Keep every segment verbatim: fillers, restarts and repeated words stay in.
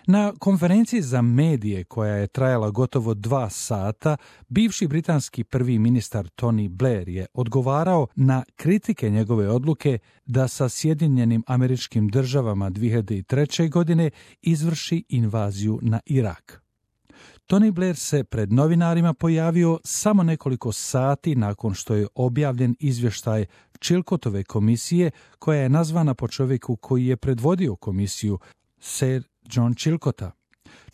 Na konferenciji za medije koja je trajala gotovo dva sata, bivši britanski prvi ministar Tony Blair je odgovarao na kritike njegove odluke da sa Sjedinjenim Američkim Državama dvije hiljade treće. godine izvrši invaziju na Irak. Tony Blair se pred novinarima pojavio samo nekoliko sati nakon što je objavljen izvještaj Chilcotove komisije, koja je nazvana po čovjeku koji je predvodio komisiju, Sir John Chilcota.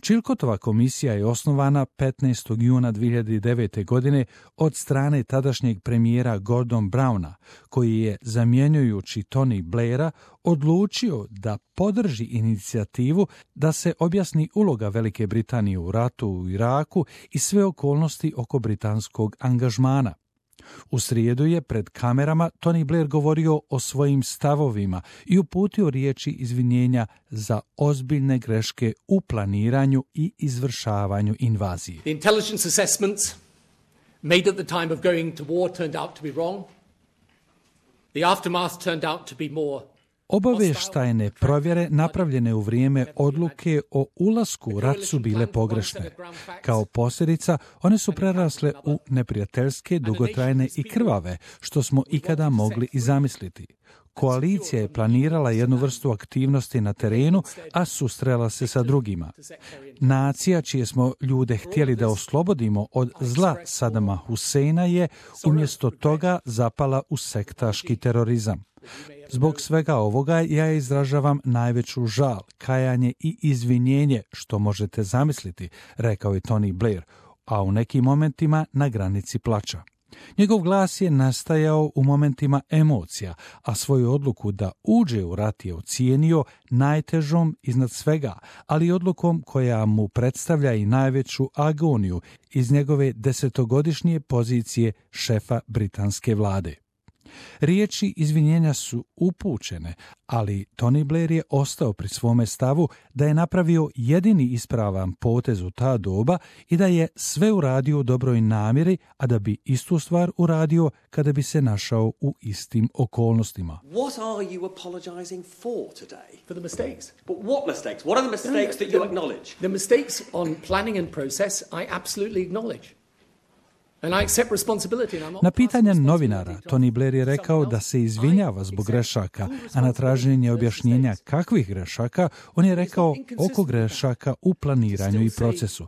Chilcotova komisija je osnovana petnaestog juna dvije hiljade devete. godine od strane tadašnjeg premijera Gordon Browna, koji je, zamjenjujući Tony Blaira, odlučio da podrži inicijativu da se objasni uloga Velike Britanije u ratu u Iraku i sve okolnosti oko britanskog angažmana. U srijedu je pred kamerama Tony Blair govorio o svojim stavovima i uputio riječi izvinjenja za ozbiljne greške u planiranju i izvršavanju invazije. The intelligence assessments made at the time of going to war turned out to be wrong. The aftermath turned out to be more. Obavještajne provjere napravljene u vrijeme odluke o ulasku u rat su bile pogrešne. Kao posljedica, one su prerasle u neprijateljske, dugotrajne i krvave, što smo ikada mogli i zamisliti. Koalicija je planirala jednu vrstu aktivnosti na terenu, a susrela se sa drugima. Nacija čije smo ljude htjeli da oslobodimo od zla Sadama Huseina je umjesto toga zapala u sektaški terorizam. Zbog svega ovoga ja izražavam najveću žal, kajanje i izvinjenje što možete zamisliti, rekao je Tony Blair, a u nekim momentima na granici plača. Njegov glas je nastajao u momentima emocija, a svoju odluku da uđe u rat je ocijenio najtežom iznad svega, ali odlukom koja mu predstavlja i najveću agoniju iz njegove desetogodišnje pozicije šefa britanske vlade. Riječi izvinjenja su upućene, ali Tony Blair je ostao pri svome stavu da je napravio jedini ispravan potez u ta doba i da je sve uradio u dobroj namjeri, a da bi istu stvar uradio kada bi se našao u istim okolnostima. What are you apologizing for today? For the mistakes. But what mistakes? What are the mistakes that you acknowledge? The mistakes on planning and process I absolutely acknowledge. Na pitanje novinara, Tony Blair je rekao da se izvinjava zbog grešaka, a na traženje objašnjenja kakvih grešaka, on je rekao oko grešaka u planiranju i procesu.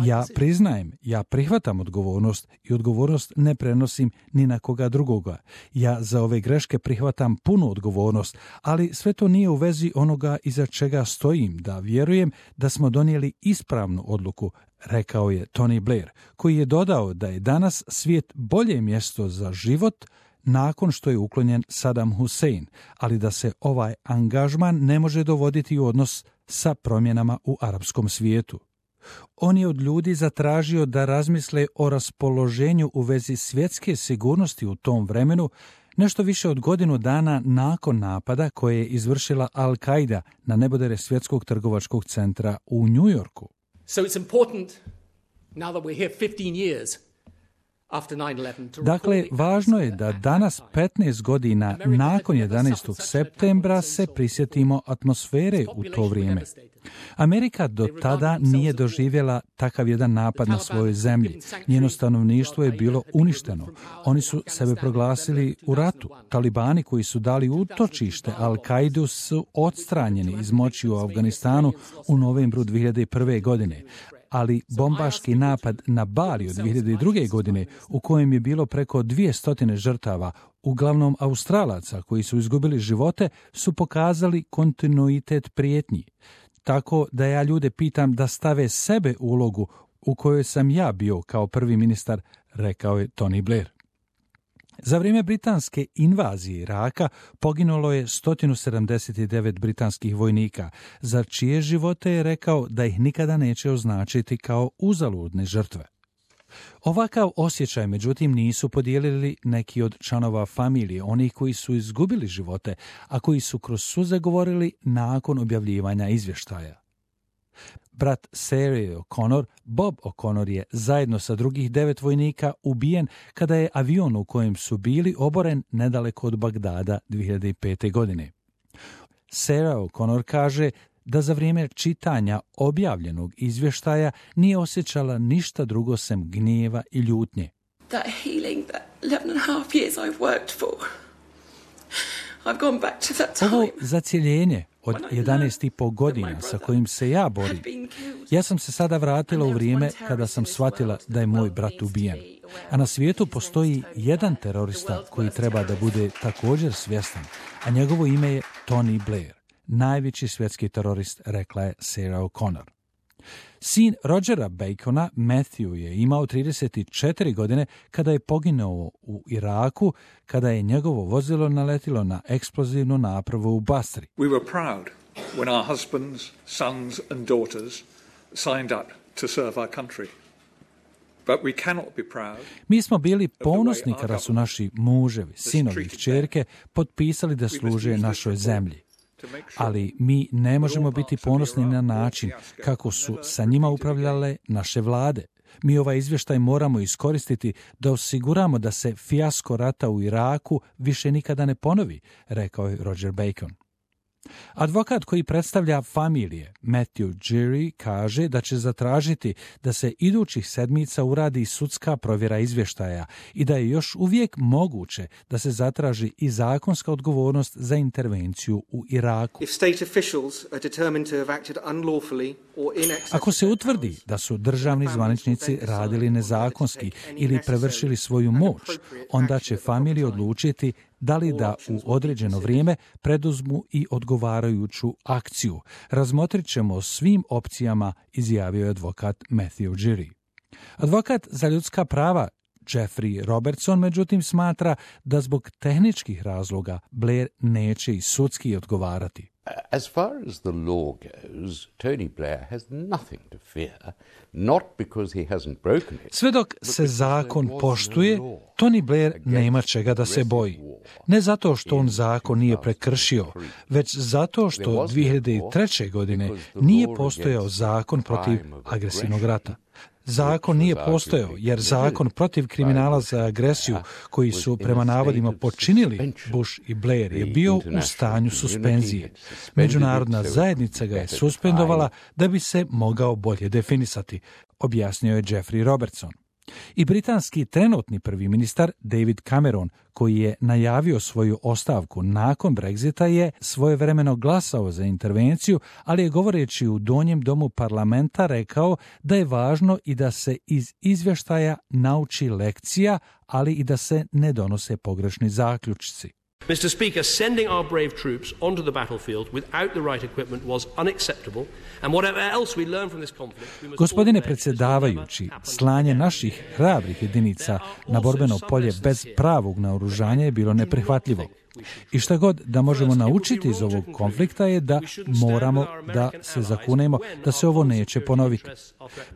Ja priznajem, ja prihvatam odgovornost i odgovornost ne prenosim ni na koga drugoga. Ja za ove greške prihvatam punu odgovornost, ali sve to nije u vezi onoga iza čega stojim, da vjerujem da smo donijeli ispravnu odluku, rekao je Tony Blair, koji je dodao da je danas svijet bolje mjesto za život nakon što je uklonjen Saddam Hussein, ali da se ovaj angažman ne može dovoditi u odnos sa promjenama u arapskom svijetu. On je od ljudi zatražio da razmisle o raspoloženju u vezi svjetske sigurnosti u tom vremenu, nešto više od godinu dana nakon napada koje je izvršila Al-Qaida na nebodere svjetskog trgovačkog centra u New Yorku. So it's important, now that we're here fifteen years after nine eleven, to Dakle, važno je da danas, petnaest godina nakon jedanaestog septembra, se prisjetimo atmosfere u to vrijeme. Amerika do tada nije doživjela takav jedan napad na svojoj zemlji. Njeno stanovništvo je bilo uništeno. Oni su sebe proglasili u ratu. Talibani koji su dali utočište Al-Kaidu su odstranjeni iz moći u Afganistanu u novembru dvije hiljade prve. godine. Ali bombaški napad na Bali od dvije hiljade druge. godine, u kojem je bilo preko dvjesto žrtava, uglavnom Australaca koji su izgubili živote, su pokazali kontinuitet prijetnji. Tako da ja ljude pitam da stave sebe u ulogu u kojoj sam ja bio kao prvi ministar, rekao je Tony Blair. Za vrijeme britanske invazije Iraka poginulo je sto sedamdeset devet britanskih vojnika, za čije živote je rekao da ih nikada neće označiti kao uzaludne žrtve. Ovakav osjećaj, međutim, nisu podijelili neki od članova familije, onih koji su izgubili živote, a koji su kroz suze govorili nakon objavljivanja izvještaja. Brat Sarah O'Connor, Bob O'Connor, je zajedno sa drugih devet vojnika ubijen kada je avion u kojem su bili oboren nedaleko od Bagdada dvije hiljade pete. godine. Sarah O'Connor kaže da za vrijeme čitanja objavljenog izvještaja nije osjećala ništa drugo sem gnjeva i ljutnje. That healing, that eleven and a half years I've worked for. I've gone back to that time. Ovo zacjeljenje od jedanaest i po godina sa kojim se ja borim, ja sam se sada vratila u vrijeme kada sam shvatila da je moj brat ubijen. A na svijetu postoji jedan terorista koji treba da bude također svjestan, a njegovo ime je Tony Blair, najveći svjetski terorist, rekla je Sarah O'Connor. Sin Rogera Bacona, Matthew, je imao trideset četiri godine kada je poginuo u Iraku, kada je njegovo vozilo naletilo na eksplozivnu napravu u Basri. We were proud when our husbands, sons and daughters signed up to serve our country. But we cannot be proud. Mi smo bili ponosni kada su naši muževi, sinovi i kćerke potpisali da služe našoj zemlji. Ali mi ne možemo biti ponosni na način kako su sa njima upravljale naše vlade. Mi ovaj izvještaj moramo iskoristiti da osiguramo da se fijasko rata u Iraku više nikada ne ponovi, rekao je Roger Bacon. Advokat koji predstavlja familije, Matthew Geary, kaže da će zatražiti da se idućih sedmica uradi sudska provjera izvještaja i da je još uvijek moguće da se zatraži i zakonska odgovornost za intervenciju u Iraku. Ako se utvrdi da su državni zvaničnici radili nezakonski ili prevršili svoju moć, onda će familije odlučiti da li da u određeno vrijeme preduzmu i odgovarajuću akciju. Razmotrit ćemo o svim opcijama, izjavio je advokat Matthew Geary. Advokat za ljudska prava Jeffrey Robertson, međutim, smatra da zbog tehničkih razloga Blair neće i sudski odgovarati. As far as the law goes, Tony Blair has nothing to fear, not because he hasn't broken it. Sve dok se zakon poštuje, Tony Blair nema čega da se boji. Ne zato što on zakon nije prekršio, već zato što dvije hiljade treće. godine nije postojao zakon protiv agresivnog rata. Zakon nije postojao jer zakon protiv kriminala za agresiju koji su prema navodima počinili Bush i Blair je bio u stanju suspenzije. Međunarodna zajednica ga je suspendovala da bi se mogao bolje definisati, objasnio je Jeffrey Robertson. I britanski trenutni prvi ministar David Cameron, koji je najavio svoju ostavku nakon Brexita, je svojevremeno glasao za intervenciju, ali je govoreći u donjem domu parlamenta rekao da je važno i da se iz izvještaja nauči lekcija, ali i da se ne donose pogrešni zaključci. Mister Speaker, sending our brave troops onto the battlefield without the right equipment was unacceptable, and whatever else we learn from this conflict, we must... Gospodine predsjedavajući, slanje naših hrabrih jedinica na borbeno polje bez pravog naoružanja je bilo neprihvatljivo. I šta god da možemo naučiti iz ovog konflikta je da moramo da se zakunemo da se ovo neće ponoviti.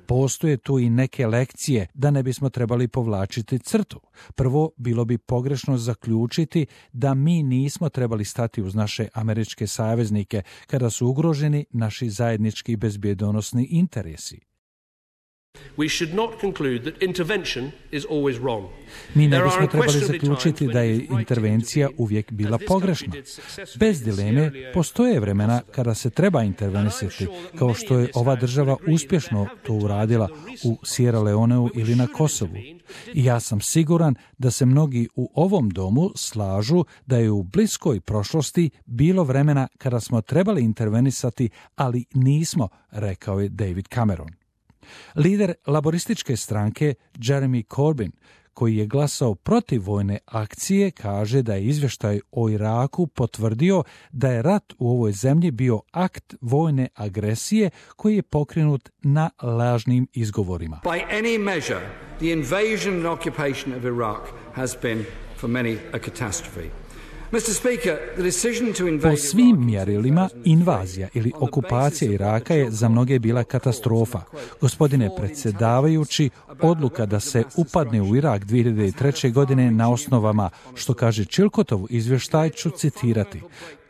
Postoje tu i neke lekcije da ne bismo trebali povlačiti crtu. Prvo, bilo bi pogrešno zaključiti da mi nismo trebali stati uz naše američke saveznike kada su ugroženi naši zajednički bezbjedonosni interesi. We should not conclude that intervention is always wrong. Mi ne bismo trebali zaključiti da je intervencija uvijek bila pogrešna. Bez dileme, postoje vremena kada se treba intervenisati, kao što je ova država uspješno to uradila u Sierra Leoneu ili na Kosovu. I ja sam siguran da se mnogi u ovom domu slažu da je u bliskoj prošlosti bilo vremena kada smo trebali intervenisati, ali nismo, rekao je David Cameron. Lider laborističke stranke Jeremy Corbyn, koji je glasao protiv vojne akcije, kaže da je izvještaj o Iraku potvrdio da je rat u ovoj zemlji bio akt vojne agresije koji je pokrenut na lažnim izgovorima. By any measure, the invasion and occupation of Iraq has been for many a catastrophe. Po svim mjerilima, invazija ili okupacija Iraka je za mnoge bila katastrofa. Gospodine predsjedavajući, odluka da se upadne u Irak dvije hiljade treće. godine na osnovama, što kaže Chilcotov izvještaj, ću citirati,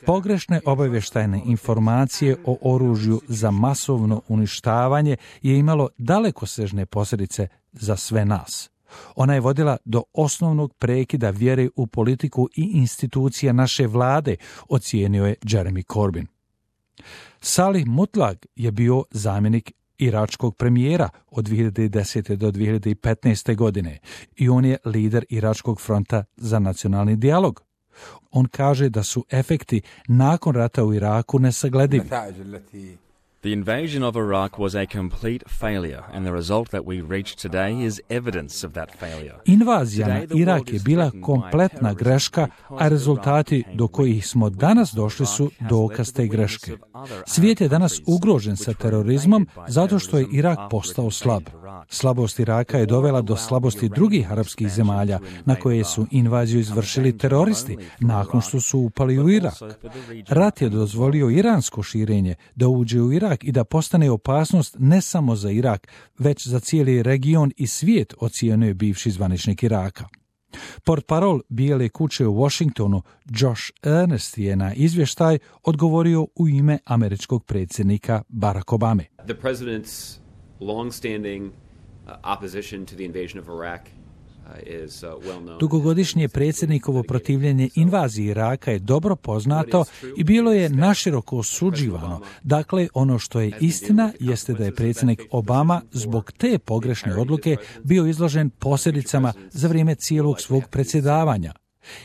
pogrešne obavještajne informacije o oružju za masovno uništavanje je imalo dalekosežne posljedice za sve nas. Ona je vodila do osnovnog prekida vjere u politiku i institucija naše vlade, ocijenio je Jeremy Corbyn. Salih Mutlag je bio zamjenik iračkog premijera od dvije hiljade desete do dvije hiljade petnaeste. godine i on je lider Iračkog fronta za nacionalni dijalog. On kaže da su efekti nakon rata u Iraku nesagledivi. The invasion of Iraq was a complete failure, and the result that we reach today is evidence of that failure. Invazija na Irak je bila kompletna greška, a rezultati do kojih smo danas došli su dokaz te greške. Svijet je danas ugrožen sa terorizmom zato što je Irak postao slab. Slabost Iraka je dovela do slabosti drugih arapskih zemalja na koje su invaziju izvršili teroristi nakon što su upali u Irak. Rat je dozvolio iransko širenje da uđe u Irak i da postane opasnost ne samo za Irak, već za cijeli region i svijet, ocijenio bivši zvaničnik Iraka. Portparol Bijele kuće u Washingtonu Josh Earnest je na izvještaj odgovorio u ime američkog predsjednika Barack Obame. The president's long-standing uh, opposition to the invasion of Iraq is uh, well known. Dugogodišnje predsjednikovo protivljenje invaziji Iraka je dobro poznato i bilo je naširoko osuđivano. Dakle, ono što je istina jeste da je predsjednik Obama zbog te pogrešne odluke bio izložen posljedicama za vrijeme cijelog svog predsjedavanja.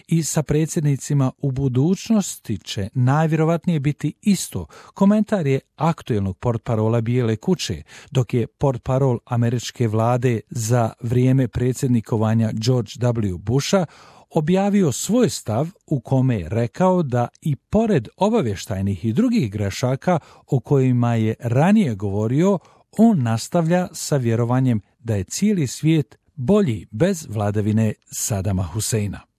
I sa predsjednicima u budućnosti će najvjerovatnije biti isto. Komentar je aktuelnog portparola Bijele kuće, dok je portparol američke vlade za vrijeme predsjednikovanja George W. Busha objavio svoj stav u kome je rekao da i pored obavještajnih i drugih grešaka o kojima je ranije govorio, on nastavlja sa vjerovanjem da je cijeli svijet bolji bez vladavine Sadama Huseina.